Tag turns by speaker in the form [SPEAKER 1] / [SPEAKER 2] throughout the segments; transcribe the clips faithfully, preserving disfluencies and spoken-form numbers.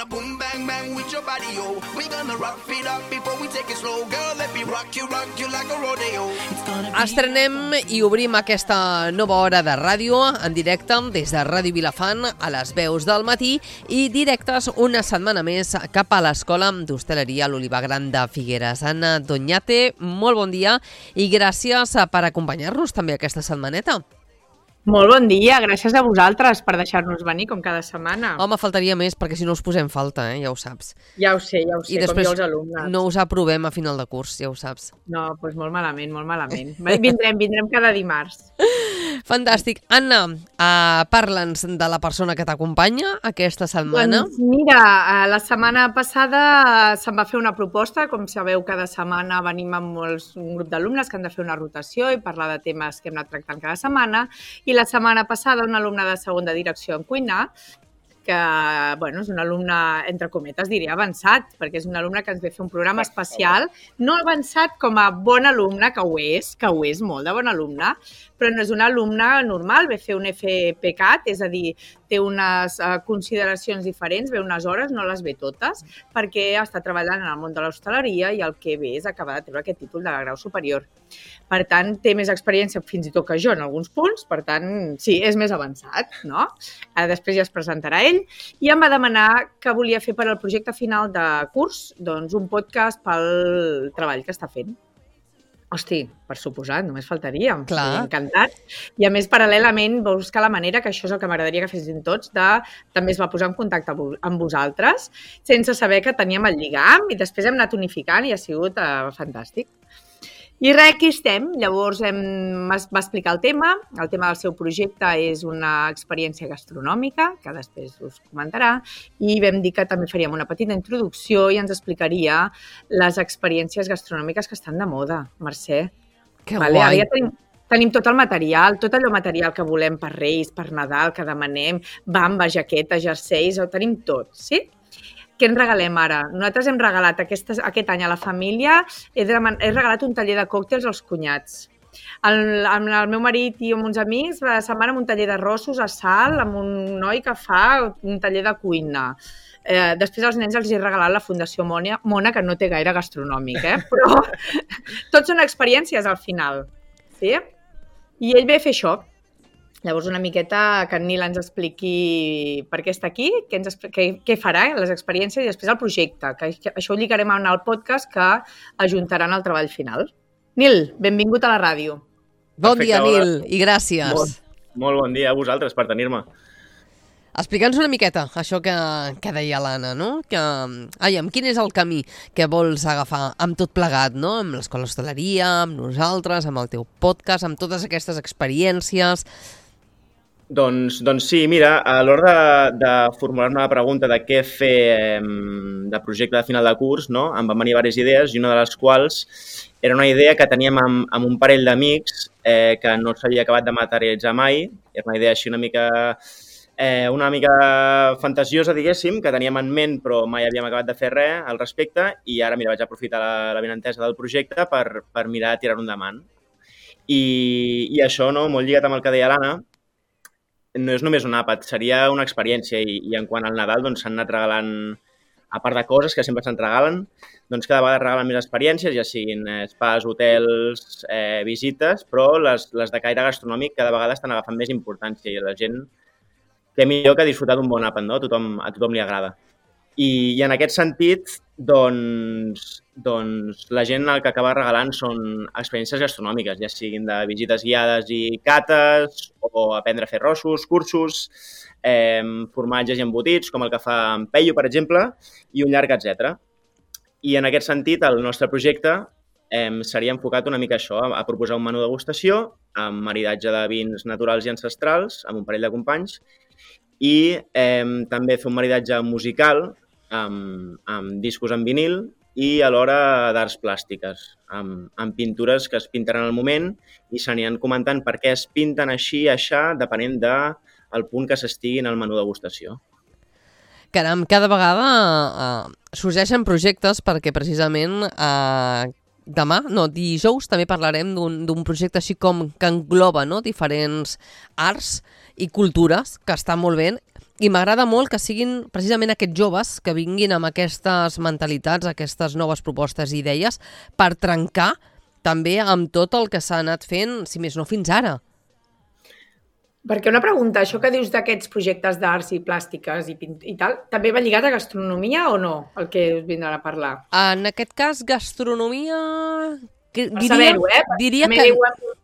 [SPEAKER 1] gonna boom bang bang with your body, yo. We gonna rock it up before we take it slow. Girl, let me rock you, rock you like a rodeo.
[SPEAKER 2] Estrenem i obrim aquesta nova hora de ràdio en directe des de Ràdio Vilafant a les veus del matí i directes una setmana més cap a l'Escola d'Hostaleria a l'Olivar Gran de Figueres. Anna Doñate, molt bon dia i gràcies per acompanyar-nos també aquesta setmaneta.
[SPEAKER 3] Molt bon dia, gràcies a vosaltres per deixar-nos venir com cada setmana.
[SPEAKER 2] Home, faltaria més perquè si no us posem falta, eh? Ja ho saps.
[SPEAKER 3] Ja ho sé, ja ho sé,
[SPEAKER 2] I
[SPEAKER 3] com jo els alumnes.
[SPEAKER 2] No us aprovem a final de curs, ja ho saps.
[SPEAKER 3] No, doncs molt malament, molt malament. Vindrem, vindrem cada dimarts.
[SPEAKER 2] Fantàstic. Anna, uh, parla'ns de la persona que t'acompanya aquesta setmana.
[SPEAKER 3] Doncs mira, la setmana passada se'm va fer una proposta, com sabeu cada setmana venim amb molts, un grup d'alumnes que han de fer una rotació i parlar de temes que hem anat tractant cada setmana, i la setmana passada una alumna de segon de direcció en cuina, que bueno, és un alumne, entre cometes, diria avançat, perquè és un alumne que ens ve fer un programa especial, no avançat com a bon alumne, que ho és, que ho és molt de bon alumne, però no és un alumne normal, ve fer un F P C A T, és a dir, té unes uh, consideracions diferents, ve unes hores, no les ve totes, perquè està treballant en el món de l'hostaleria i el que ve és acabar de treure aquest títol de grau superior. Per tant, té més experiència fins i tot que jo en alguns punts, per tant, sí, és més avançat, no? Després ja es presentarà ell, i em va demanar que volia fer per al projecte final de curs doncs, un podcast pel treball que està fent. Hosti, per suposat, només faltaria.
[SPEAKER 2] Clar.
[SPEAKER 3] Encantat. I a més, paral·lelament, va buscar la manera, que això és el que m'agradaria que fessin tots, de també es va posar en contacte amb vosaltres, sense saber que teníem el lligam, i després hem anat unificant i ha sigut uh, fantàstic. I res, aquí estem. Llavors hem, va explicar el tema. El tema del seu projecte és una experiència gastronòmica, que després us comentarà, i vam dir que també faríem una petita introducció i ens explicaria les experiències gastronòmiques que estan de moda, Mercè.
[SPEAKER 2] Que
[SPEAKER 3] vale?
[SPEAKER 2] guai!
[SPEAKER 3] Ara ja tenim, tenim tot el material, tot allò material que volem per Reis, per Nadal, que demanem, bamba, jaqueta, jerseis, ho tenim tot, sí? Què ens regalem ara? Nosaltres hem regalat aquest, aquest any a la família, he, de, he regalat un taller de còctels als cunyats. El, amb el meu marit i amb uns amics se'n van amb un taller d'arrossos a Salt, amb un noi que fa un taller de cuina. Eh, després als nens els he regalat la Fundació Mona, Mona que no té gaire gastronòmic, eh? Però tots són experiències al final. Sí? I ell ve a fer això. Llavors, una miqueta que en Nil ens expliqui per què està aquí, què, ens, què, què farà, les experiències i després el projecte, que, que això ho lligarem en el podcast que ajuntaran el treball final. Nil, benvingut a la ràdio.
[SPEAKER 2] Bon
[SPEAKER 4] Perfecte,
[SPEAKER 2] dia,
[SPEAKER 4] hola.
[SPEAKER 2] Nil, i gràcies.
[SPEAKER 4] Molt, molt bon dia a vosaltres per tenir-me.
[SPEAKER 2] Explica'ns una miqueta això que, que deia l'Anna, no? Que, ai, amb quin és el camí que vols agafar amb tot plegat, no? Amb l'Escola d'Hostaleria, amb nosaltres, amb el teu podcast, amb totes aquestes experiències.
[SPEAKER 4] Doncs, doncs sí, mira, a l'hora de, de formular-me la pregunta de què fer eh, de projecte de final de curs, no? Em van venir diverses idees i una de les quals era una idea que teníem amb, amb un parell d'amics eh, que no s'havia acabat de materialitzar mai. Era una idea així una mica, eh, una mica fantasiosa, diguéssim, que teníem en ment però mai havíem acabat de fer res al respecte i ara mira, vaig aprofitar la, la benentesa del projecte per, per mirar de tirar-ho endavant. I, I això, no? Molt lligat amb el que deia l'Anna, no és només un àpat, seria una experiència i, i en quant al Nadal doncs s'han anat regalant, a part de coses que sempre se'n regalen, doncs cada vegada regalen més experiències, ja siguin spas, hotels, eh, visites, però les, les de caire gastronòmic cada vegada estan agafant més importància i la gent, què millor que disfrutar d'un bon àpat, no? A tothom, a tothom li agrada. I, i en aquest sentit, doncs, doncs la gent el que acaba regalant són experiències gastronòmiques, ja siguin de visites guiades i cates, o aprendre a fer rossos, cursos, eh, formatges i embotits, com el que fa en Peyu, per exemple, i un llarg etcètera. I en aquest sentit, el nostre projecte eh, seria enfocat una mica a això, a, a proposar un menú degustació amb maridatge de vins naturals i ancestrals, amb un parell de companys, i eh, també fer un maridatge musical amb, amb discos en vinil i alhora d'arts plàstiques, amb, amb pintures que es pintaran al moment i s'aniran comentant per què es pinten així i aixà, depenent del punt que s'estigui en el menú degustació.
[SPEAKER 2] Caram, cada vegada uh, sorgeixen projectes perquè precisament uh, demà, no, dijous, també parlarem d'un projecte així com que engloba, no?, diferents arts i cultures, que està molt bé. I m'agrada molt que siguin precisament aquests joves que vinguin amb aquestes mentalitats, aquestes noves propostes i idees per trencar també amb tot el que s'ha anat fent, si més no, fins ara.
[SPEAKER 3] Perquè una pregunta, això que dius d'aquests projectes d'arts i plàstiques i, pint- i tal, també va lligat a gastronomia o no, el que us vindran a parlar?
[SPEAKER 2] En aquest cas, gastronomia... que-
[SPEAKER 3] Per
[SPEAKER 2] Diria,
[SPEAKER 3] saber-ho, eh? Perquè
[SPEAKER 2] diria,
[SPEAKER 3] també
[SPEAKER 2] que,
[SPEAKER 3] diuen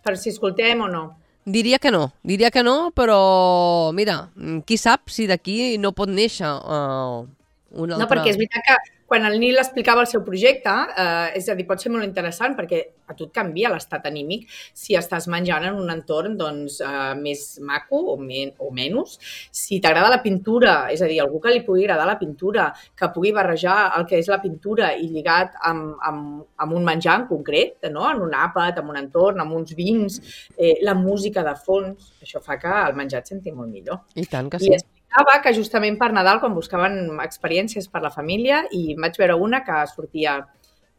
[SPEAKER 3] per si escoltem o no.
[SPEAKER 2] diria que no, diria que no, però mira, qui sap si d'aquí no pot néixer uh, un altre...
[SPEAKER 3] No, perquè és veritat que quan el Nil explicava el seu projecte, eh, és a dir, pot ser molt interessant perquè a tu et canvia l'estat anímic si estàs menjant en un entorn doncs, eh, més maco o, men o menys. Si t'agrada la pintura, és a dir, algú que li pugui agradar la pintura, que pugui barrejar el que és la pintura i lligat amb, amb, amb un menjar en concret, no? En un àpat, en un entorn, amb uns vins, eh, la música de fons, això fa que el menjar et senti molt millor.
[SPEAKER 2] I tant que
[SPEAKER 3] I
[SPEAKER 2] sí.
[SPEAKER 3] explicava que justament per Nadal, quan buscaven experiències per la família, i vaig veure una que sortia,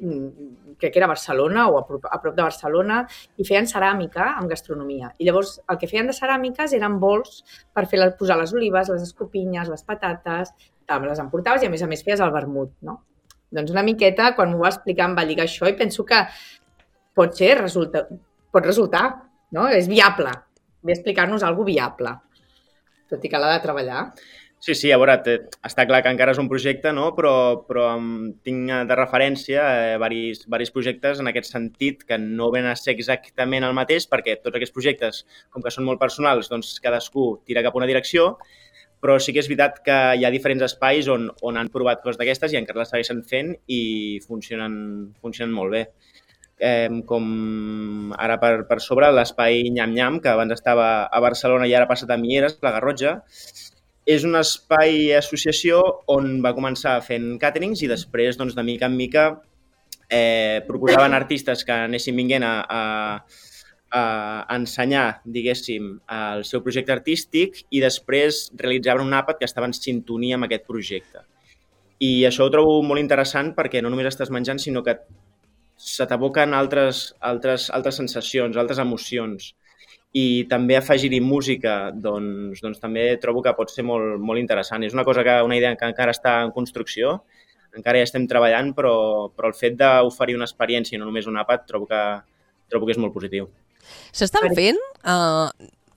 [SPEAKER 3] mm, crec que era a Barcelona o a prop, a prop de Barcelona, i feien ceràmica amb gastronomia. I llavors el que feien de ceràmiques eren bols per fer la, posar les olives, les escopinyes, les patates, te les emportaves i a més a més feies el vermut, no? Doncs una miqueta, quan m'ho va explicar, em va lligar això i penso que pot ser, resulta, pot resultar, no? És viable. Ve a explicar-nos alguna cosa viable, tot i que l'ha de treballar.
[SPEAKER 4] Sí, sí, a veure, té- està clar que encara és un projecte, no? però, però em tinc de referència eh, varis, varis projectes en aquest sentit que no ven a ser exactament el mateix perquè tots aquests projectes, com que són molt personals, doncs cadascú tira cap a una direcció, però sí que és veritat que hi ha diferents espais on, on han provat coses d'aquestes i encara les segueixen fent i funcionen, funcionen molt bé. Eh, com ara per, per sobre l'espai Nyam Nyam, que abans estava a Barcelona i ara ha passat a Mieres, la Garrotxa, és un espai associació on va començar fent càterings i després, doncs, de mica en mica, eh, proposaven artistes que anessin vinguent a, a, a ensenyar, diguéssim, el seu projecte artístic i després realitzaven un àpat que estava en sintonia amb aquest projecte. I això ho trobo molt interessant perquè no només estàs menjant, sinó que se t'aboquen altres, altres, altres sensacions, altres emocions. I també afegir-hi música, doncs, doncs també trobo que pot ser molt, molt interessant. És una cosa que, una idea que encara està en construcció, encara hi estem treballant, però, però el fet d'oferir una experiència i no només un àpat trobo que, trobo que és molt positiu.
[SPEAKER 2] S'estan fent, uh,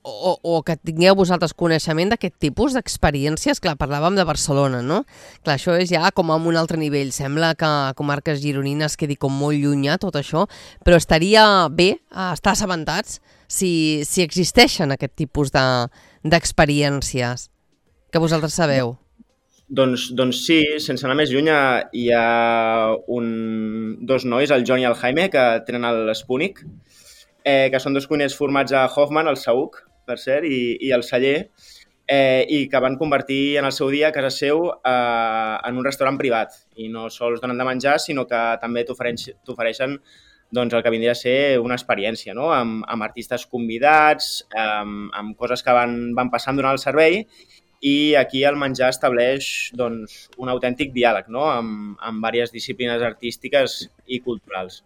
[SPEAKER 2] o, o que tingueu vosaltres coneixement d'aquest tipus d'experiències? Clar, parlàvem de Barcelona, no? Clar, això és ja com a un altre nivell. Sembla que a comarques gironines quedi com molt llunyà tot això, però estaria bé uh, estar assabentats si, si existeixen aquest tipus d'experiències que vosaltres sabeu.
[SPEAKER 4] Doncs, doncs sí, sense anar més lluny, hi ha un, dos nois, el John i el Jaime, que tenen l'Spúnic, eh, que són dos cuiners formats a Hoffman, al Saüc, per cert, i, i al Celler, eh, i que van convertir en el seu dia a casa seu eh, en un restaurant privat. I no sols donen de menjar, sinó que també t'ofereixen doncs, el que vindria a ser una experiència, no? amb, amb artistes convidats, amb, amb coses que van, van passant durant el servei, i aquí el menjar estableix doncs, un autèntic diàleg, no? amb, amb diverses disciplines artístiques i culturals.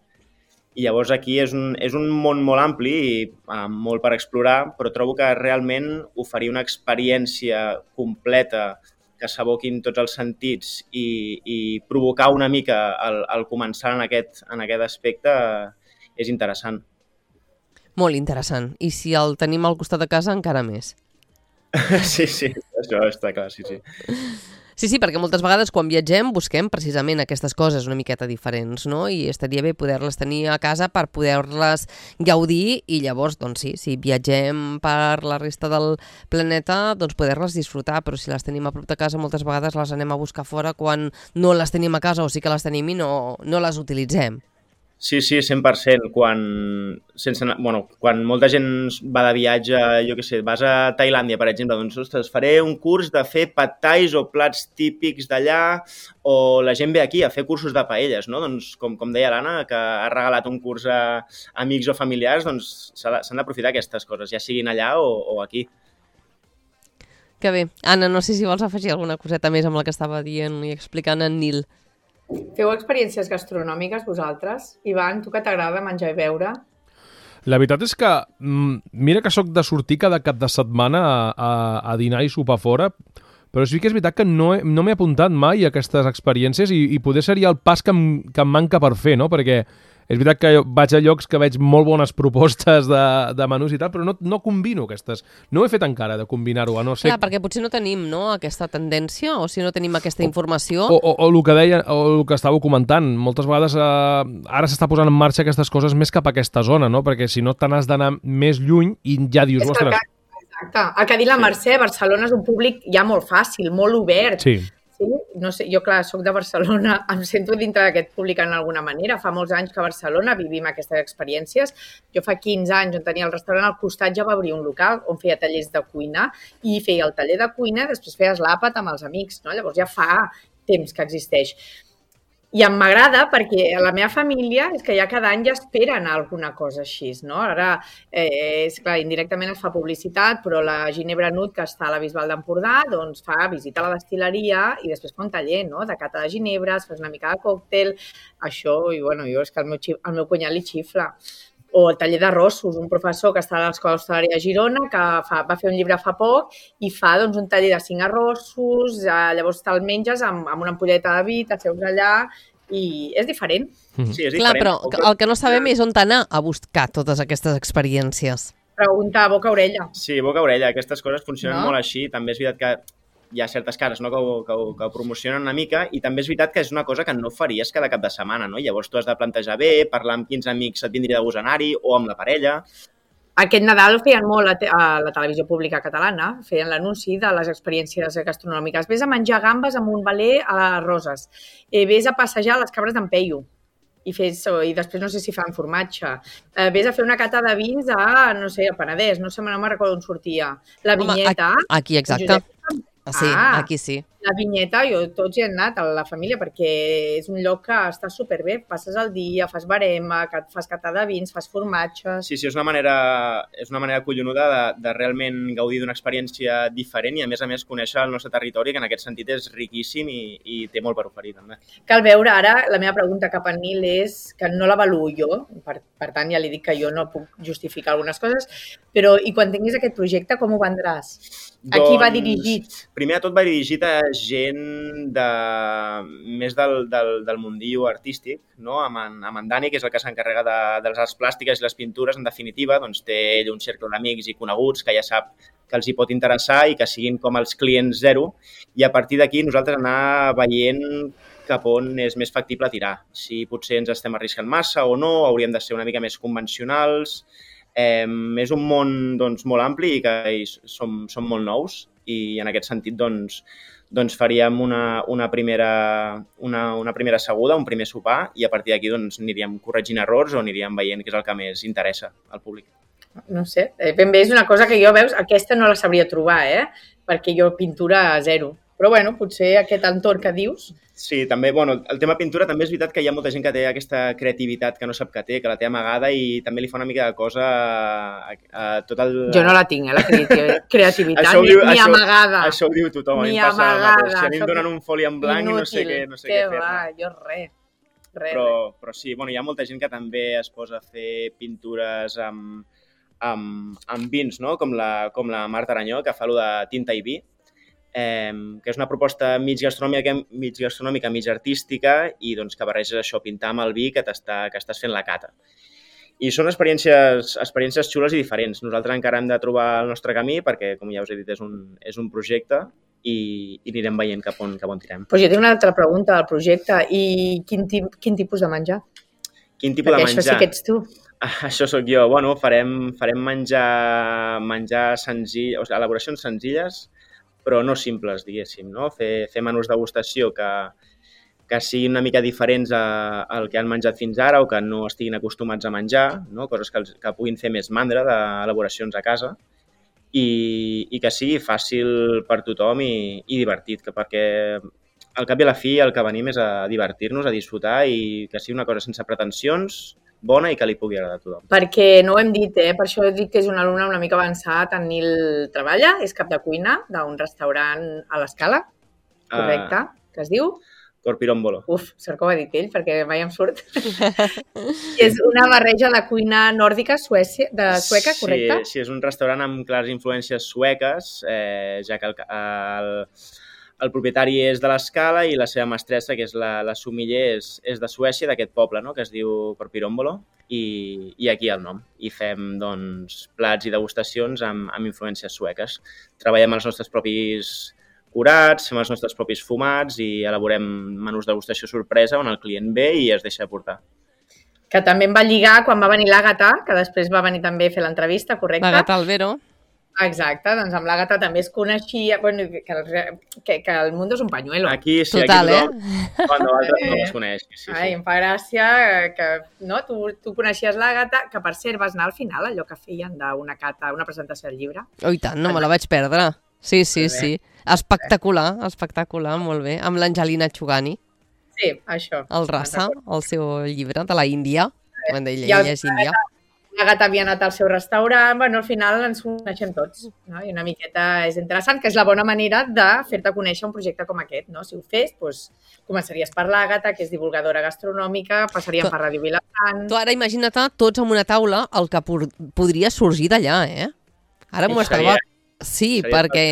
[SPEAKER 4] I llavors aquí és un, és un món molt ampli i amb molt per explorar, però trobo que realment oferir una experiència completa que s'aboquin tots els sentits i, i provocar una mica el, el començar en aquest, en aquest aspecte és interessant.
[SPEAKER 2] Molt interessant. I si el tenim al costat de casa, encara més.
[SPEAKER 4] Sí, sí, això està clar, sí, sí.
[SPEAKER 2] Sí, sí, perquè moltes vegades quan viatgem busquem precisament aquestes coses una miqueta diferents, no? I estaria bé poder-les tenir a casa per poder-les gaudir i llavors, doncs sí, si viatgem per la resta del planeta, doncs poder-les disfrutar, però si les tenim a prop de casa moltes vegades les anem a buscar fora quan no les tenim a casa o sí que les tenim i no, no les utilitzem.
[SPEAKER 4] Sí, sí, cent per cent. Quan, sense, bueno, quan molta gent va de viatge, jo què sé, vas a Tailàndia, per exemple, doncs, ostres, faré un curs de fer pad thais o plats típics d'allà, o la gent ve aquí a fer cursos de paelles, no? Doncs, com, com deia l'Anna, que ha regalat un curs a amics o familiars, doncs s'han d'aprofitar aquestes coses, ja siguin allà o, o aquí.
[SPEAKER 2] Que bé. Anna, no sé si vols afegir alguna coseta més amb la que estava dient i explicant en Nil.
[SPEAKER 3] Feu experiències gastronòmiques vosaltres? Ivan, tu que t'agrada menjar i beure?
[SPEAKER 5] La veritat és que, mira que sóc de sortir cada cap de setmana a, a, a dinar i sopar fora, però sí que és veritat que no, he, no m'he apuntat mai a aquestes experiències i, i poder seria el pas que em, que em manca per fer, no? Perquè és veritat que vaig a llocs que veig molt bones propostes de, de menús i tal, però no, no combino aquestes. No ho he fet encara, de combinar-ho, a no ser...
[SPEAKER 2] Clar, perquè potser no tenim, no?, aquesta tendència, o si no tenim aquesta informació...
[SPEAKER 5] O, o, o, el que deia, o el que estàveu comentant, moltes vegades eh, ara s'està posant en marxa aquestes coses més cap a aquesta zona, no? Perquè si no te n'has d'anar més lluny i ja dius, ostres...
[SPEAKER 3] Exacte. El que ha dit la Mercè, Barcelona és un públic ja molt fàcil, molt obert.
[SPEAKER 5] Sí.
[SPEAKER 3] Sí, no sé, jo, clar, soc de Barcelona, em sento dintre d'aquest públic en alguna manera. Fa molts anys que a Barcelona vivim aquestes experiències. Jo fa quinze anys, on tenia el restaurant al costat, ja va obrir un local on feia tallers de cuina i feia el taller de cuina, després feies l'àpat amb els amics, no? Llavors ja fa temps que existeix. I em m'agrada perquè a la meva família és que ja cada any ja esperen alguna cosa així, no? Ara, eh, és clar, indirectament es fa publicitat, però la Ginebra Nut, que està a la Bisbal d'Empordà, doncs fa visita a la destil·leria i després fa un taller, no?, de cata de ginebres, fas una mica de còctel, això, i bueno, jo és que el meu, el meu cunyat li xifla. O el taller d'arrossos, un professor que està a l'Escola Hostalària de Girona, que fa, va fer un llibre fa poc i fa doncs, un taller de cinc arrossos, eh, llavors te'l menges amb, amb una ampolleta de vi, t'asseus allà i és diferent.
[SPEAKER 5] Mm-hmm.
[SPEAKER 4] Sí, és
[SPEAKER 2] Clar,
[SPEAKER 4] diferent.
[SPEAKER 2] però el que no sabem és on anar a buscar totes aquestes experiències.
[SPEAKER 3] Pregunta boca-orella.
[SPEAKER 4] Sí, boca-orella, aquestes coses funcionen
[SPEAKER 3] No?
[SPEAKER 4] molt així. També és veritat que hi ha certes cares, no?, que, ho, que, ho, que ho promocionen una mica i també és veritat que és una cosa que no faries cada cap de setmana, no? Llavors tu has de plantejar bé, parlar amb quins amics et vindria de gust anar-hi o amb la parella.
[SPEAKER 3] Aquest Nadal ho feien molt a, te a la televisió pública catalana, feien l'anunci de les experiències gastronòmiques. Vés a menjar gambes amb un veler a Roses, eh, vés a passejar les cabres d'en Peyu, i, fes, i després no sé si fan formatge. Eh, vés a fer una cata de vins a, no sé, a Penedès, no sé, no me'n recordo on sortia. La vinyeta...
[SPEAKER 2] Home, aquí, exacte.
[SPEAKER 3] Josep...
[SPEAKER 2] Sí,
[SPEAKER 3] Ah,
[SPEAKER 2] aquí sí.
[SPEAKER 3] La vinyeta, jo tots hi he anat a la família perquè és un lloc que està superbé, passes el dia, fas barema, fas cata de vins, fas formatges...
[SPEAKER 4] Sí, sí, és una manera, és una manera collonuda de, de realment gaudir d'una experiència diferent i a més a més conèixer el nostre territori, que en aquest sentit és riquíssim i, i té molt per oferir també.
[SPEAKER 3] Cal veure ara, la meva pregunta cap a Nil és que no l'avaluo jo, per, per tant ja li dic que jo no puc justificar algunes coses, però i quan tinguis aquest projecte com ho vendràs? A qui va dirigit?
[SPEAKER 4] Primer de tot va dirigit a gent de, més del, del, del mundillo artístic, no? Amb, en, amb en Dani, que és el que s'encarrega de, de les arts plàstiques i les pintures, en definitiva, doncs té ell un cercle d'amics i coneguts que ja sap que els hi pot interessar i que siguin com els clients zero, i a partir d'aquí nosaltres anar veient cap on és més factible tirar. Si potser ens estem arriscant massa o no, hauríem de ser una mica més convencionals. Eh, és un món doncs, molt ampli i que hi som, som molt nous i en aquest sentit doncs, doncs faríem una, una, primera, una, una primera seguda, un primer sopar i a partir d'aquí doncs, aniríem corregint errors o aniríem veient què és el que més interessa al públic.
[SPEAKER 3] No sé, ben bé és una cosa que jo, veus, aquesta no la sabria trobar, eh? Perquè jo pintura a zero. Però bueno, potser aquest entorn que dius...
[SPEAKER 4] Sí, també, bueno, el tema pintura també és veritat que hi ha molta gent que té aquesta creativitat que no sap que té, que la té amagada i també li fa una mica de cosa a, a tot el...
[SPEAKER 3] Jo no la tinc, eh, la creativitat,
[SPEAKER 4] això
[SPEAKER 3] ni,
[SPEAKER 4] diu,
[SPEAKER 3] ni
[SPEAKER 4] això,
[SPEAKER 3] amagada.
[SPEAKER 4] Això ho diu tothom,
[SPEAKER 3] ni
[SPEAKER 4] a mi em passa el mateix. Si a mi em
[SPEAKER 3] soc
[SPEAKER 4] donen un foli en blanc
[SPEAKER 3] inútil,
[SPEAKER 4] i no sé què, no sé
[SPEAKER 3] què
[SPEAKER 4] què fer.
[SPEAKER 3] va, jo res, res,
[SPEAKER 4] però,
[SPEAKER 3] res.
[SPEAKER 4] però sí, bueno, hi ha molta gent que també es posa a fer pintures amb, amb, amb vins, no? Com la, com la Marta Aranyó, que fa allò de tinta i vi, eh, que és una proposta mig gastronòmica, mig gastronòmica, mig artística i doncs, que barreges això, pintar amb el vi que, que estàs fent la cata. I són experiències, experiències xules i diferents. Nosaltres encara hem de trobar el nostre camí perquè, com ja us he dit, és un, és un projecte i, i anirem veient cap on, cap on tirem.
[SPEAKER 3] Pues jo tinc una altra pregunta del projecte. I quin, tip, quin tipus de menjar?
[SPEAKER 4] Quin tipus
[SPEAKER 3] perquè
[SPEAKER 4] de menjar?
[SPEAKER 3] Això sí que ets tu.
[SPEAKER 4] Ah, això sóc jo. Bueno, farem, farem menjar, menjar senzill, o sigui, elaboracions senzilles, però no simples, diguéssim, no? Fer, fer menús degustació que, que siguin una mica diferents a, al que han menjat fins ara o que no estiguin acostumats a menjar, no? Coses que, els, que puguin fer més mandra d'elaboracions a casa i, i que sigui fàcil per tothom i, i divertit, que perquè al cap i a la fi el que venim és a divertir-nos, a disfrutar i que sigui una cosa sense pretensions, bona i que li pugui agradar a tothom.
[SPEAKER 3] Perquè no ho hem dit, eh? Per això he dit que és un alumne una mica avançat. En Nil treballa, és cap de cuina d'un restaurant a l'Escala, correcte, uh, que es diu?
[SPEAKER 4] Corpirombolo.
[SPEAKER 3] Uf, sort que ho ha dit ell, perquè mai em surt. És una barreja de cuina nòrdica suècia, de sueca, correcte?
[SPEAKER 4] Sí, sí, és un restaurant amb clares influències sueques, eh, ja que el, el, el propietari és de l'Escala i la seva mestressa, que és la, la sommelier, és, és de Suècia, d'aquest poble, no?, que es diu Corpirombolo, i, i aquí el nom. I fem, doncs, plats i degustacions amb, amb influències sueques. Treballem els nostres propis curats, fem els nostres propis fumats i elaborem menús de degustació sorpresa on el client ve i es deixa portar.
[SPEAKER 3] Que també em va lligar quan va venir l'Àgata, que després va venir també a fer l'entrevista, correcte?
[SPEAKER 2] L'Àgata Albero.
[SPEAKER 3] Exacte, doncs amb l'Àgata també es coneixia, bueno, que, el, que, que el mundo és un pañuelo.
[SPEAKER 4] Aquí sí,
[SPEAKER 2] total,
[SPEAKER 4] aquí tothom, eh? Quan d'altres no es coneix. Sí, sí.
[SPEAKER 3] Ai, em fa gràcia que no, tu, tu coneixies l'Àgata, que per cert vas anar al final, allò que feien d'una cata, una presentació del llibre.
[SPEAKER 2] Oh, i tant, no me la vaig perdre. Sí, sí, sí. Espectacular, espectacular, molt bé. Amb l'Angelina Chugani.
[SPEAKER 3] Sí, això.
[SPEAKER 2] El Rasa, el seu llibre de la Índia. Quan deia,
[SPEAKER 3] I el-
[SPEAKER 2] ella és índia.
[SPEAKER 3] L'Àgata havia anat al seu restaurant, bueno, al final ens coneixem tots, no? I una miqueta és interessant, que és la bona manera de fer-te conèixer un projecte com aquest, no? Si ho fes, doncs, començaries per l'Àgata, que és divulgadora gastronòmica, passaríem
[SPEAKER 2] Tu-
[SPEAKER 3] per Ràdio Vilafant...
[SPEAKER 2] Tu ara imagina't tots en una taula el que por- podria sorgir d'allà, eh? Ara m'ho
[SPEAKER 4] Seria-
[SPEAKER 2] estava... Sí,
[SPEAKER 4] seria
[SPEAKER 2] perquè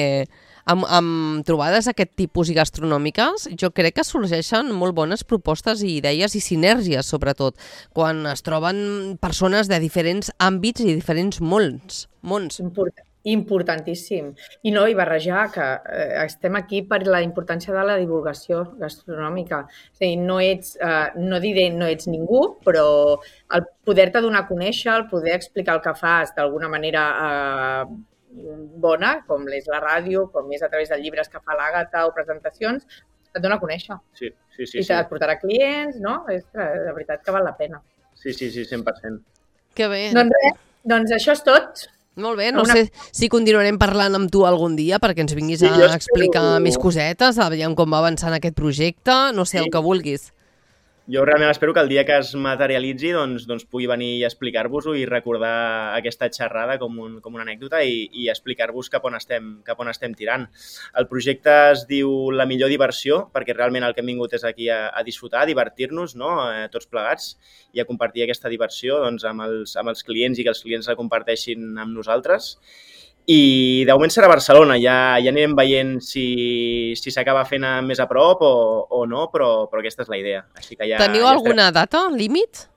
[SPEAKER 2] amb, amb trobades d'aquest tipus i gastronòmiques jo crec que sorgeixen molt bones propostes i idees i sinergies, sobretot, quan es troben persones de diferents àmbits i diferents mons. mons.
[SPEAKER 3] Import, importantíssim. I no, i barrejar, que eh, estem aquí per la importància de la divulgació gastronòmica. És a dir, no ets, eh, no diré no ets ningú, però el poder-te donar a conèixer, el poder explicar el que fas d'alguna manera eh, bona, com és la ràdio, com és a través de llibres que fa l'Àgata o presentacions, et dona a conèixer.
[SPEAKER 4] Sí, sí, sí.
[SPEAKER 3] I
[SPEAKER 4] sí.
[SPEAKER 3] et portarà clients, no? És que, de veritat que val la pena.
[SPEAKER 4] Sí, sí, sí, cent per cent.
[SPEAKER 2] Que bé.
[SPEAKER 3] Doncs res, doncs això és tot.
[SPEAKER 2] Molt bé, no
[SPEAKER 3] Una-
[SPEAKER 2] sé si continuarem parlant amb tu algun dia perquè ens vinguis
[SPEAKER 4] Sí,
[SPEAKER 2] a
[SPEAKER 4] jo espero-
[SPEAKER 2] explicar més cosetes, aviam com va avançant aquest projecte, no sé,
[SPEAKER 4] Sí.
[SPEAKER 2] el que vulguis.
[SPEAKER 4] Jo realment espero que el dia que es materialitzi doncs, doncs pugui venir i explicar-vos-ho i recordar aquesta xerrada com, un, com una anècdota i, i explicar-vos cap on estem, cap on estem tirant. El projecte es diu La millor diversió, perquè realment el que hem vingut és aquí a, a disfrutar, a divertir-nos, no? eh, tots plegats, i a compartir aquesta diversió doncs, amb, els, amb els clients i que els clients la comparteixin amb nosaltres. I de moment serà a Barcelona, ja, ja anirem veient si, si s'acaba fent a més a prop o, o no, però, però aquesta és la idea. Així que ja,
[SPEAKER 2] Teniu
[SPEAKER 4] ja
[SPEAKER 2] alguna data, límit?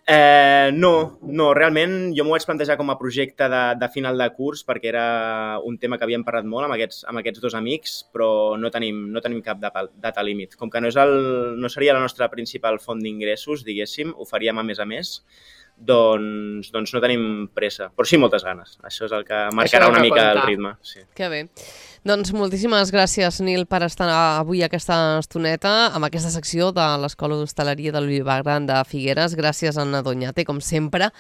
[SPEAKER 4] Eh, no, no, realment jo m'ho vaig plantejar com a projecte de, de final de curs perquè era un tema que havíem parlat molt amb aquests, amb aquests dos amics, però no tenim, no tenim cap data, data límit. Com que no, és el, no seria la nostra principal font d'ingressos, diguéssim, ho faríem a més a més, doncs, doncs no tenim pressa, però sí moltes ganes. Això és el que marcarà
[SPEAKER 3] és el
[SPEAKER 4] una
[SPEAKER 3] que
[SPEAKER 4] mica
[SPEAKER 3] compta.
[SPEAKER 4] el ritme. Sí.
[SPEAKER 2] Que bé. Doncs moltíssimes gràcies, Nil, per estar avui aquesta estoneta amb aquesta secció de l'Escola d'Hostaleria de l'Olivar Gran de Figueres. Gràcies, Anna Doñate, com sempre,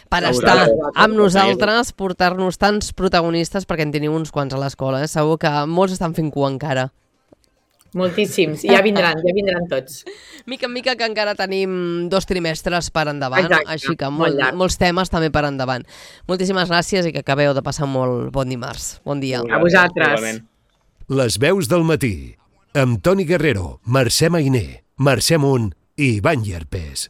[SPEAKER 2] per
[SPEAKER 4] A
[SPEAKER 2] estar
[SPEAKER 4] vosaltres.
[SPEAKER 2] amb nosaltres, portar-nos tants protagonistes, perquè en teniu uns quants a l'escola. Eh? Segur que molts estan fent cua encara.
[SPEAKER 3] Moltíssims. Ja vindran, ja vindran tots.
[SPEAKER 2] Mica en mica que encara tenim dos trimestres per endavant,
[SPEAKER 3] Exacte,
[SPEAKER 2] així que
[SPEAKER 3] molt
[SPEAKER 2] molt,
[SPEAKER 3] llarg.
[SPEAKER 2] molts temes també per endavant. Moltíssimes gràcies i que acabeu de passar molt bon dimarts. Bon dia.
[SPEAKER 3] A vosaltres.
[SPEAKER 4] Igualment.
[SPEAKER 6] Les veus del matí, amb Toni Guerrero, Mercè Mainer, Mercè Munt i Ivan Llerpés.